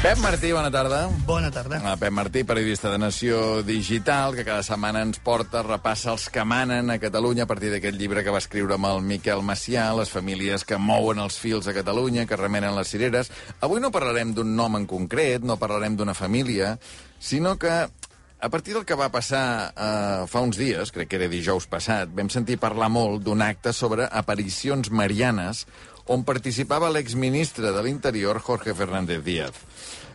Pep Martí, bona tarda. Bona tarda. Pep Martí, periodista de Nació Digital, que cada setmana ens porta, repassa els que manen a Catalunya a partir d'aquest llibre que va escriure amb el Miquel Macià, les famílies que mouen els fils a Catalunya, que remenen les cireres. Avui no parlarem d'un nom en concret, no parlarem d'una família, sinó que a partir del que va passar fa uns dies, crec que era dijous passat, vam sentir parlar molt d'un acte sobre aparicions marianes on participava l'exministre de l'Interior, Jorge Fernández Díaz.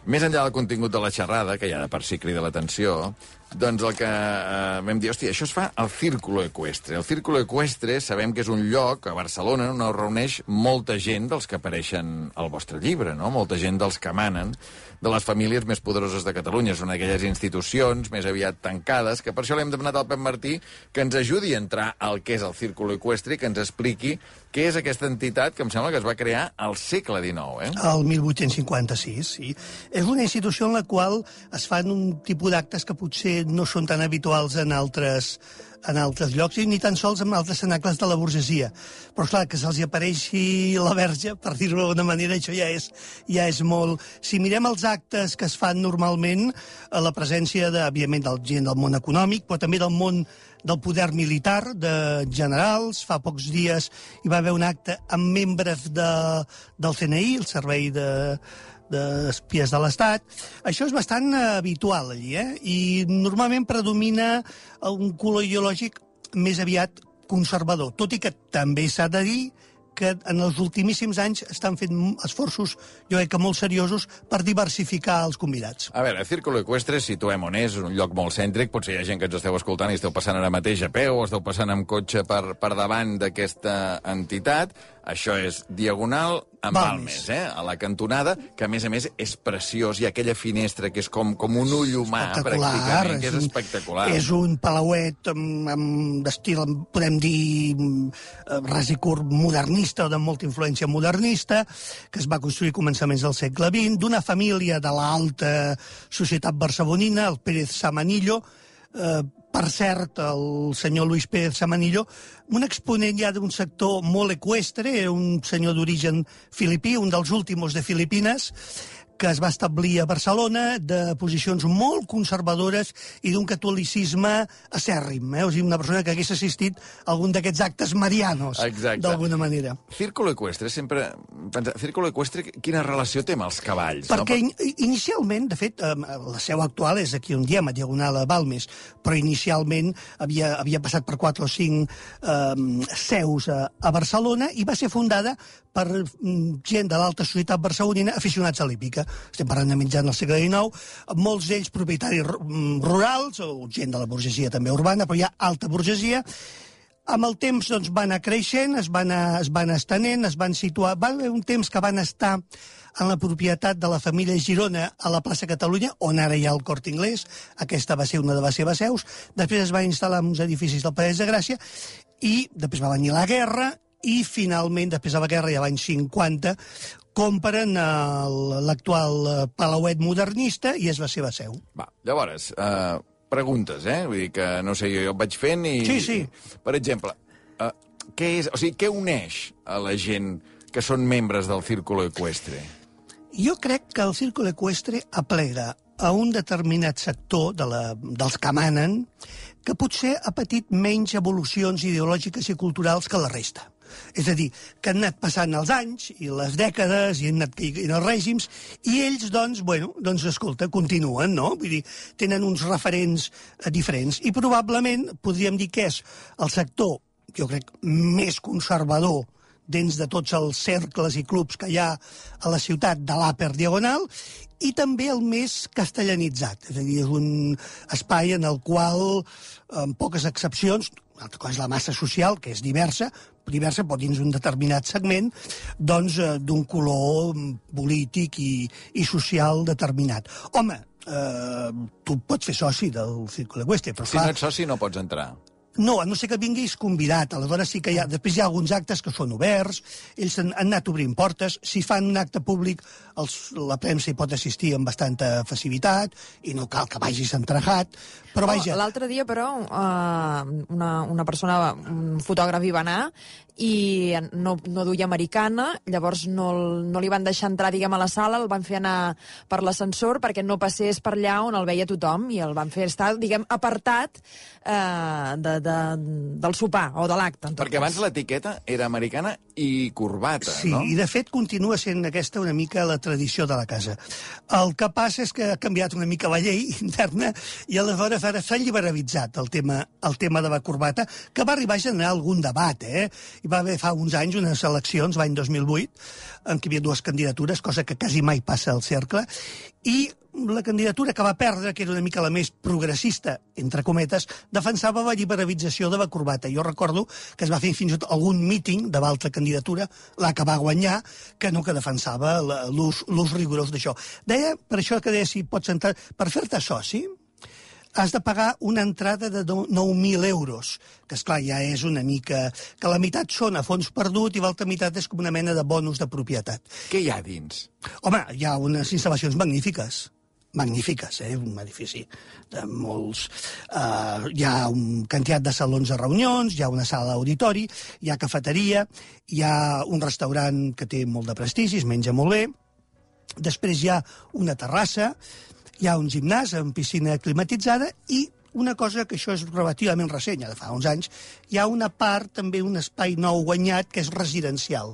Més enllà del contingut de la xerrada, que ja de per si crida l'atenció, doncs el que vam dir, hòstia, això es fa al Círculo Ecuestre. El Círculo Ecuestre sabem que és un lloc a Barcelona on es reuneix molta gent dels que apareixen al vostre llibre, no? Molta gent dels que manen, de les famílies més poderoses de Catalunya. Són aquelles institucions més aviat tancades, que per això l'hem demanat al Pep Martí que ens ajudi a entrar al que és el Círculo Ecuestre i que ens expliqui què és aquesta entitat que em sembla que es va crear al segle XIX, El 1856, sí. És una institució en la qual es fan un tipus d'actes que potser no són tan habituals en altres llocs i ni tan sols en altres cenacles de la burgesia. Però, clar, que se'ls apareixi la verge, per dir-ho d'alguna manera, això ja és molt... Si mirem els actes que es fan normalment, la presència, òbviament, de gent del món econòmic, però també del món del poder militar, de generals. Fa pocs dies hi va haver un acte amb membres del CNI, el Servei d'Espies de l'Estat. Això és bastant habitual allí, i normalment predomina un color ideològic més aviat conservador, tot i que també s'ha de dir que en els ultimíssims anys estan fent esforços, jo crec que molt seriosos, per diversificar els convidats. A veure, el Círculo Ecuestre, situem on és un lloc molt cèntric, potser hi ha gent que ens esteu escoltant i esteu passant ara mateix a peu o esteu passant amb cotxe per davant d'aquesta entitat. Això és Diagonal amb Balmes, a la cantonada, que a més és preciós. Hi ha aquella finestra que és com un ull humà, pràcticament, que és espectacular. És un palauet d'estil, podem dir, ras i curt modernista o de molta influència modernista, que es va construir a començaments del segle XX, d'una família de l'alta societat barcelonina, el Pérez Samanillo, per cert, el senyor Luis Pérez Samanillo, un exponent ja d'un sector molt eqüestre, un senyor d'origen filipí, un dels últims de Filipines, que es va establir a Barcelona, de posicions molt conservadores i d'un catolicisme acèrrim. O sigui, una persona que hagués assistit a algun d'aquests actes marianos, d'alguna manera. Círculo Ecuestre, sempre... Círculo Ecuestre, quina relació té amb els cavalls? Perquè inicialment, de fet, la seu actual és aquí on diem, a Diagonal a Balmes, però inicialment havia passat per 4 o 5 seus a Barcelona i va ser fundada per gent de l'alta societat barcelonina aficionats a l'hípica. Estem parlant de mitjans del segle XIX, molts d'ells propietaris rurals, o gent de la burgesia també urbana, però hi ha alta burgesia. Amb el temps doncs, va anar creixent, es van estenent, es van situar... Va haver un temps que van estar en la propietat de la família Girona a la plaça Catalunya, on ara hi ha el Corte Inglés. Aquesta va ser una de les seves seus. Després es va instal·lar en uns edificis del Parell de Gràcia i després va venir la guerra i finalment, després de la guerra, ja l'any 50, compren l'actual palauet modernista i és la seva seu. Va, llavors, preguntes, Vull dir que, no sé, jo vaig fent i... Sí. Per exemple, què uneix a la gent que són membres del Círculo Ecuestre? Jo crec que el Círculo Ecuestre aplega a un determinat sector dels que manen que potser ha patit menys evolucions ideològiques i culturals que la resta. És a dir, que han anat passant els anys i les dècades i han anat caient els règims i ells, doncs, escolta, continuen, no? Vull dir, tenen uns referents diferents i probablement podríem dir que és el sector, jo crec, més conservador dins de tots els cercles i clubs que hi ha a la ciutat de l'Upper Diagonal i també el més castellanitzat. És a dir, és un espai en el qual, amb poques excepcions, una altra cosa és la massa social, que és diversa, però dins un determinat segment, doncs, d'un color polític i social determinat. Home, tu pots fer soci del Círculo Ecuestre, però si no ets soci no pots entrar. No, a no ser que vinguis convidat. Aleshores sí que després hi ha alguns actes que són oberts, ells han anat obrint portes, si fan un acte públic la premsa hi pot assistir amb bastanta facilitat i no cal que vagis entregat, però vaja... L'altre dia, però, una persona, un fotògraf hi va anar i no duia americana, llavors no li van deixar entrar, diguem, a la sala, el van fer anar per l'ascensor perquè no passés per allà on el veia tothom, i el van fer estar, diguem, apartat del sopar o de l'acte. Perquè abans l'etiqueta era americana i corbata, no? Sí, i de fet continua sent aquesta una mica la tradició de la casa. El que passa és que ha canviat una mica la llei interna i aleshores ara s'ha liberalitzat el tema de la corbata, que va arribar a generar algun debat, Hi va haver fa uns anys unes eleccions, l'any 2008, en què hi havia dues candidatures, cosa que quasi mai passa al cercle, i la candidatura que va perdre, que era una mica la més progressista, entre cometes, defensava la liberalització de la corbata. Jo recordo que es va fer fins i tot algun míting de l'altra candidatura, la que va guanyar, que no que defensava l'ús rigorós d'això. Deia, per això que deia, si pots entrar, per fer-te soci, has de pagar una entrada de 9.000 euros, que esclar ja és una mica... que la meitat són a fons perdut i l'altra meitat és com una mena de bonus de propietat. Què hi ha dins? Home, hi ha unes instal·lacions magnífiques, un edifici de molts... hi ha una quantitat de salons de reunions, hi ha una sala d'auditori, hi ha cafeteria, hi ha un restaurant que té molt de prestigi, es menja molt bé, després hi ha una terrassa, hi ha un gimnàs amb piscina climatitzada i una cosa que això és relativament recent, ja de fa uns anys, hi ha una part, també un espai nou guanyat, que és residencial,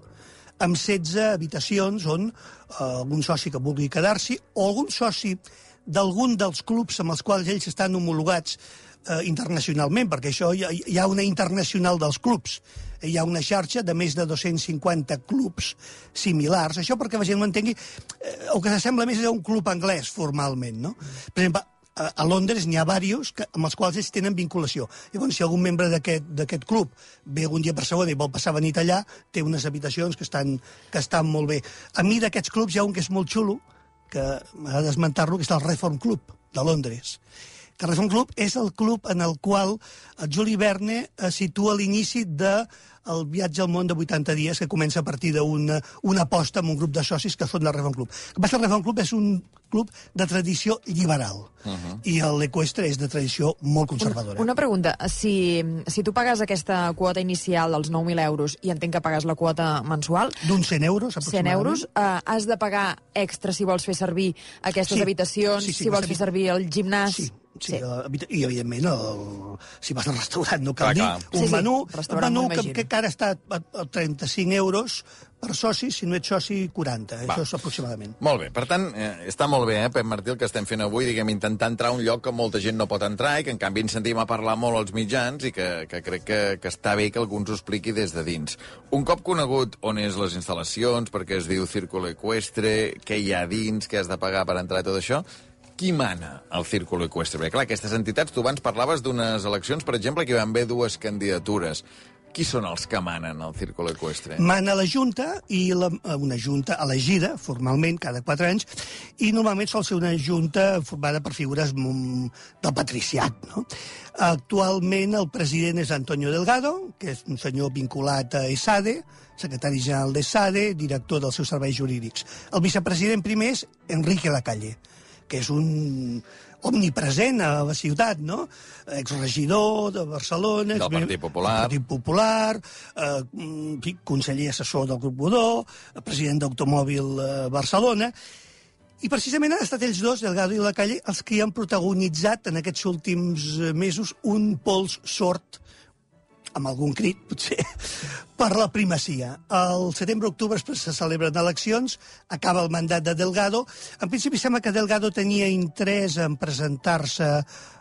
amb 16 habitacions on algun soci que vulgui quedar-s'hi o algun soci d'algun dels clubs amb els quals ells estan homologats internacionalment, perquè això hi ha una internacional dels clubs. Hi ha una xarxa de més de 250 clubs similars. Això perquè la gent ho entengui, el que s'assembla més és un club anglès, formalment, no? Per exemple, a Londres n'hi ha diversos amb els quals ells tenen vinculació. Llavors, si algun membre d'aquest club ve algun dia a Barcelona i vol passar la nit allà, té unes habitacions que estan molt bé. A mi d'aquests clubs hi ha un que és molt xulo, que m'ha d'esmentar-lo, que és el Reform Club de Londres. Que el Reform Club és el club en el qual el Juli Verne situa l'inici del viatge al món de 80 dies, que comença a partir d'una aposta amb un grup de socis que fon el Reform Club. El que passa, el Reform Club és un club de tradició liberal, i l'Equestre és de tradició molt conservadora. Una pregunta, si tu pagues aquesta quota inicial dels 9.000 euros i entenc que pagues la quota mensual... D'uns 100 euros, aproximadament. 100 euros, has de pagar extra si vols fer servir aquestes habitacions, si vols fer servir el gimnàs... Sí, i evidentment si vas al restaurant no cal dir un menú que ara està a 35 euros per soci, si no ets soci 40, això és aproximadament. Molt bé, per tant, està molt bé, Pep Martí, el que estem fent avui, diguem, intentar entrar a un lloc que molta gent no pot entrar i que en canvi ens sentim a parlar molt als mitjans i que crec que està bé que algú ens ho expliqui des de dins. Un cop conegut on és les instal·lacions, perquè es diu Círculo Equestre, què hi ha dins, què has de pagar per entrar i tot això, qui mana al Círculo Equestre? Perquè, clar, aquestes entitats, tu abans parlaves d'unes eleccions, per exemple, que hi van haver dues candidatures. Qui són els que manen al Círculo Equestre? Mana la Junta, i una Junta elegida, formalment, cada 4 anys, i normalment sol ser una Junta formada per figures del patriciat, no? Actualment el president és Antonio Delgado, que és un senyor vinculat a ESADE, secretari general d'ESADE, director dels seus serveis jurídics. El vicepresident primer és Enrique Lacalle, que és un omnipresent a la ciutat, no? Exregidor de Barcelona... Del Partit Popular, conseller assessor del Grup Godó, president d'Automòbil Barcelona... I precisament han estat ells dos, Delgado i Lacalle, els que han protagonitzat en aquests últims mesos un pols sord, amb algun crit, potser, per la primacia. Al setembre-octubre se celebren eleccions, acaba el mandat de Delgado. En principi sembla que Delgado tenia interès en presentar-se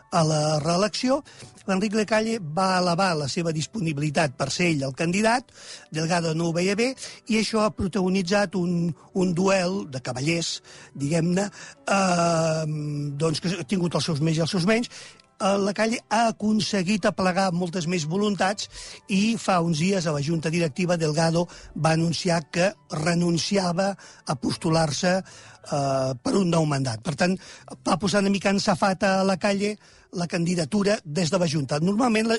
a la reelecció. L'Enric Lacalle va elevar la seva disponibilitat per ser ell el candidat, Delgado no ho veia bé, i això ha protagonitzat un duel de cavallers, diguem-ne, doncs que ha tingut els seus més i els seus menys. Lacalle ha aconseguit aplegar moltes més voluntats i fa uns dies a la Junta Directiva Delgado va anunciar que renunciava a postular-se per un nou mandat. Per tant, va posar una mica en safata a Lacalle la candidatura des de la Junta. Normalment,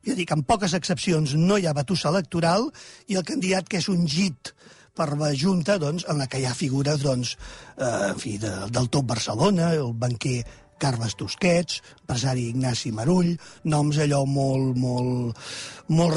ja dic, amb poques excepcions, no hi ha batussa electoral i el candidat que és ungit per la Junta, doncs, en la que hi ha figures, doncs, en fi, del Top Barcelona, el banquer Carles Tusquets, empresari Ignasi Marull, noms allò molt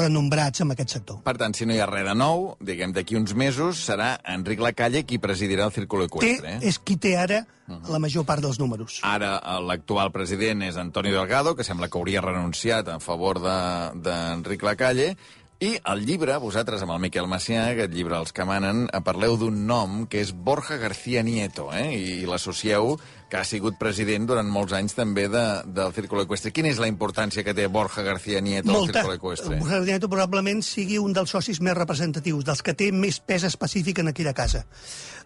renombrats en aquest sector. Per tant, si no hi ha res de nou, diguem, d'aquí uns mesos serà Enric Lacalle qui presidirà el Círculo Ecuestre. És qui té ara la major part dels números. Ara l'actual president és Antonio Delgado, que sembla que hauria renunciat en favor d'Enric Lacalle. I el llibre, vosaltres, amb el Miquel Macià, aquest llibre Els que manen, parleu d'un nom que és Borja García Nieto, i l'associeu que ha sigut president durant molts anys també del Círculo Ecuestre. Quina és la importància que té Borja García Nieto al Círculo Ecuestre? Borja García Nieto probablement sigui un dels socis més representatius, dels que té més pes específic en aquella casa.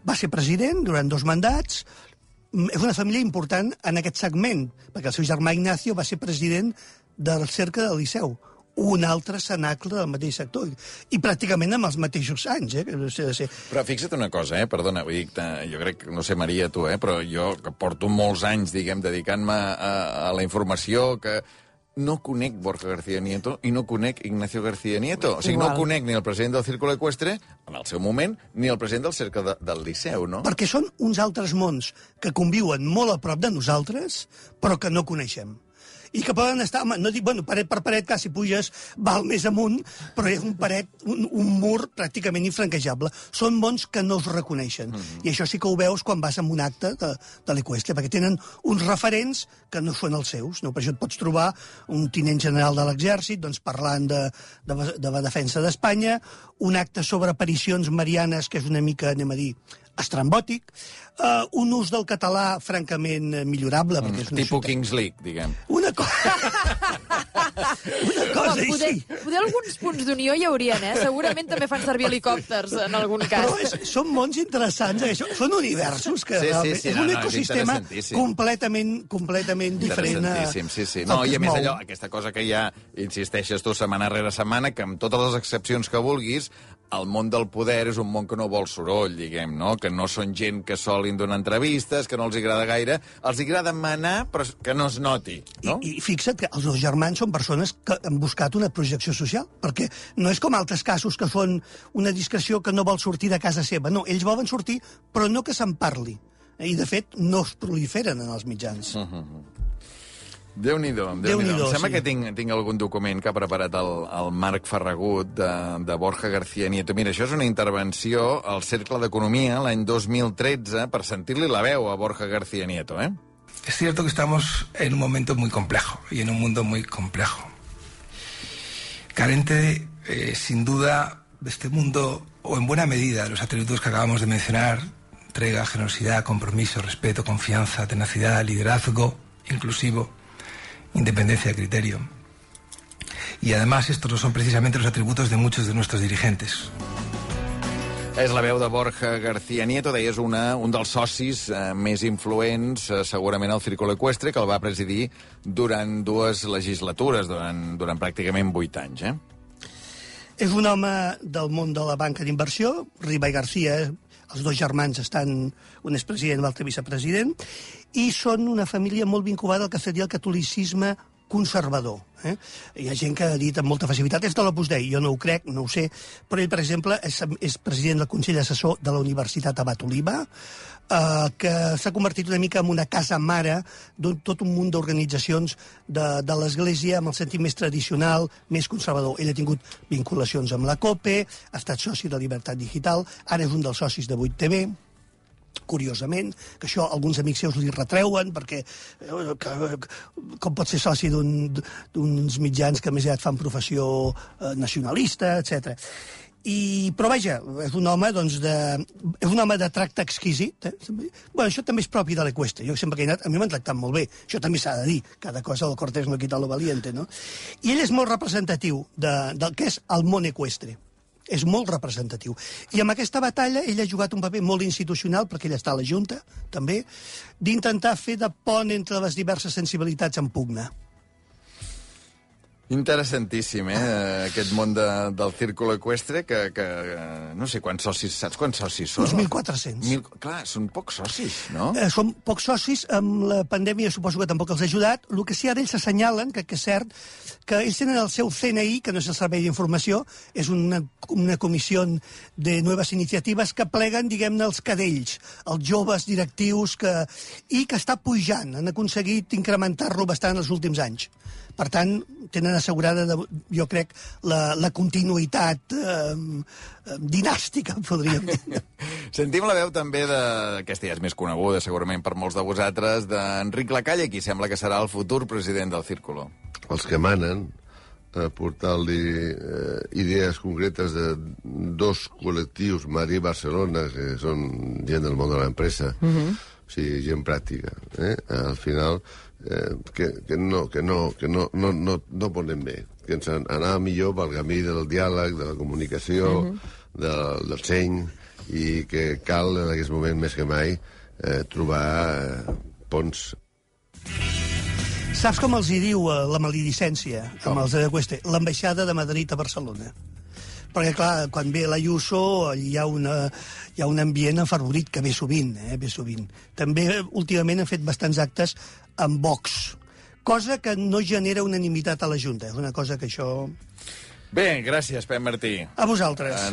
Va ser president durant 2 mandats, és una família important en aquest segment, perquè el seu germà Ignacio va ser president del Cercle del Liceu, un altre cenacle del mateix sector, i pràcticament amb els mateixos anys. Però fixa't una cosa, perdona, vull dir, jo crec, no sé, Maria, tu, però jo que porto molts anys, diguem, dedicant-me a la informació, que no conec Borja García Nieto i no conec Ignacio García Nieto. O sigui, no conec ni el president del Círculo Ecuestre, en el seu moment, ni el president del Cercle del Liceu, no? Perquè són uns altres mons que conviuen molt a prop de nosaltres, però que no coneixem. I que poden estar, no dic, paret per paret, que si puges val més amunt, però és un paret, un mur pràcticament infranquejable. Són mons que no es reconeixen. I això sí que ho veus quan vas a un acte de l'Ecuestre, perquè tenen uns referents que no són els seus. No? Per això et pots trobar un tinent general de l'exèrcit parlant de la defensa d'Espanya, un acte sobre aparicions marianes, que és una mica, anem a dir, estrambòtic, un ús del català francament millorable. Tipus Kings League, diguem. Una cosa així. Poder alguns punts d'unió hi haurien, Segurament també fan servir helicòpters en algun cas. Però són mons interessants, són universos que realment... És un ecosistema completament diferent. Interessantíssim, sí. No, i a més allò, aquesta cosa que ja insisteixes tu setmana rere setmana, que amb totes les excepcions que vulguis, el món del poder és un món que no vol soroll, diguem, no? Que no són gent que solin donar entrevistes, que no els agrada gaire. Els agrada manar, però que no es noti, no? I fixa't que els 2 germans són persones que han buscat una projecció social, perquè no és com altres casos que són una discreció que no vol sortir de casa seva. No, ells volen sortir, però no que se'n parli. I, de fet, no es proliferen en els mitjans. Déu-n'hi-do. Em sembla que tinc algun document que ha preparat el Marc Ferragut de Borja García Nieto. Mira, això és una intervenció al Cercle d'Economia l'any 2013 per sentir-li la veu a Borja García Nieto, Es cierto que estamos en un momento muy complejo y en un mundo muy complejo. Carente, sin duda, de este mundo, o en buena medida, de los atributos que acabamos de mencionar: entrega, generosidad, compromiso, respeto, confianza, tenacidad, liderazgo inclusivo, independencia de criterio. Y además estos no son precisamente los atributos de muchos de nuestros dirigentes. És la veu de Borja García Nieto, deies un dels socis més influents, segurament al Círculo Ecuestre, que el va presidir durant 2 legislatures, durant pràcticament 8 anys. És un home del món de la banca d'inversió, Riba i García, els 2 germans estan, un és president, l'altre vicepresident, i són una família molt vinculada al que seria el catolicisme conservador. Hi ha gent que ha dit amb molta facilitat és de l'Opus Dei, jo no ho crec, no ho sé, però ell, per exemple, és president del Consell Assessor de la Universitat Abat Oliba, que s'ha convertit una mica en una casa mare de tot un munt d'organitzacions de l'Església amb el sentit més tradicional, més conservador. Ell ha tingut vinculacions amb la COPE, ha estat soci de Llibertat Digital, ara és un dels socis de 8TV, curiosament, que això alguns amics seus li retreuen, perquè com pot ser soci d'uns mitjans que més aviat fan professió nacionalista, etc. Però vaja, és un home de tracte exquisit. Això també és propi de l'Ecuestre. Jo sempre que he anat, a mi m'han tractat molt bé. Això també s'ha de dir. Cada cosa del cortés no quita lo valiente, no? I ell és molt representatiu del que és el món eqüestre. És molt representatiu. I amb aquesta batalla ell ha jugat un paper molt institucional, perquè ell està a la Junta, també, d'intentar fer de pont entre les diverses sensibilitats en pugna. Interessantíssim, aquest món del círculo eqüestre, que no sé quants socis, saps quants socis són? Uns 1.400. Clar, són pocs socis, no? Són pocs socis, amb la pandèmia suposo que tampoc els ha ajudat. El que sí, ara ells s'assenyalen, que és cert, que ells tenen el seu CNI, que no és el Servei d'Informació, és una comissió de noves iniciatives que pleguen, diguem-ne, els cadells, els joves directius, i que està pujant. Han aconseguit incrementar-lo bastant els últims anys. Per tant, tenen assegurada, jo crec, la continuïtat dinàstica, podríem dir. Sentim la veu també aquesta ja és més coneguda, segurament per molts de vosaltres, d'Enric Lacalle, qui sembla que serà el futur president del Círculo. Els que manen, portar-li idees concretes de dos col·lectius, Madrid i Barcelona, que són gent del món de l'empresa, o sigui, gent pràctica. Al final, que no ponem bé, que ens anava millor pel camí del diàleg, de la comunicació, del seny, i que cal en aquest moment més que mai trobar ponts. Saps com els hi diu la maledicència amb els de Cueste? L'ambaixada de Madrid a Barcelona. Perquè, clar, quan ve l'Ayuso hi ha un ambient afavorit que ve sovint, ve sovint. També, últimament, han fet bastants actes amb Vox, cosa que no genera unanimitat a la Junta. És una cosa que això... Bé, gràcies, Pep Martí. A vosaltres.